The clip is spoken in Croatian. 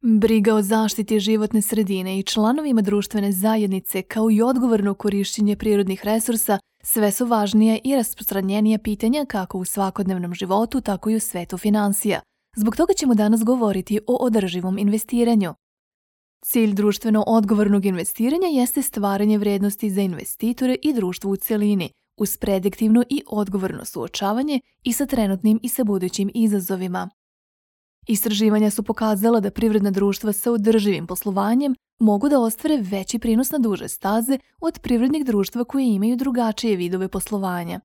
Briga o zaštiti životne sredine i članovima društvene zajednice kao i odgovorno korišćenje prirodnih resursa sve su važnije i rasprostranjenija pitanja kako u svakodnevnom životu, tako i u svetu finansija. Zbog toga ćemo danas govoriti o održivom investiranju. Cilj društveno odgovornog investiranja jeste stvaranje vrednosti za investitore i društvo u cjelini, uz prediktivno i odgovorno suočavanje i sa trenutnim i sa budućim izazovima. Istraživanja su pokazala da privredna društva sa održivim poslovanjem mogu da ostvare veći prinos na duže staze od privrednih društva koje imaju drugačije vidove poslovanja.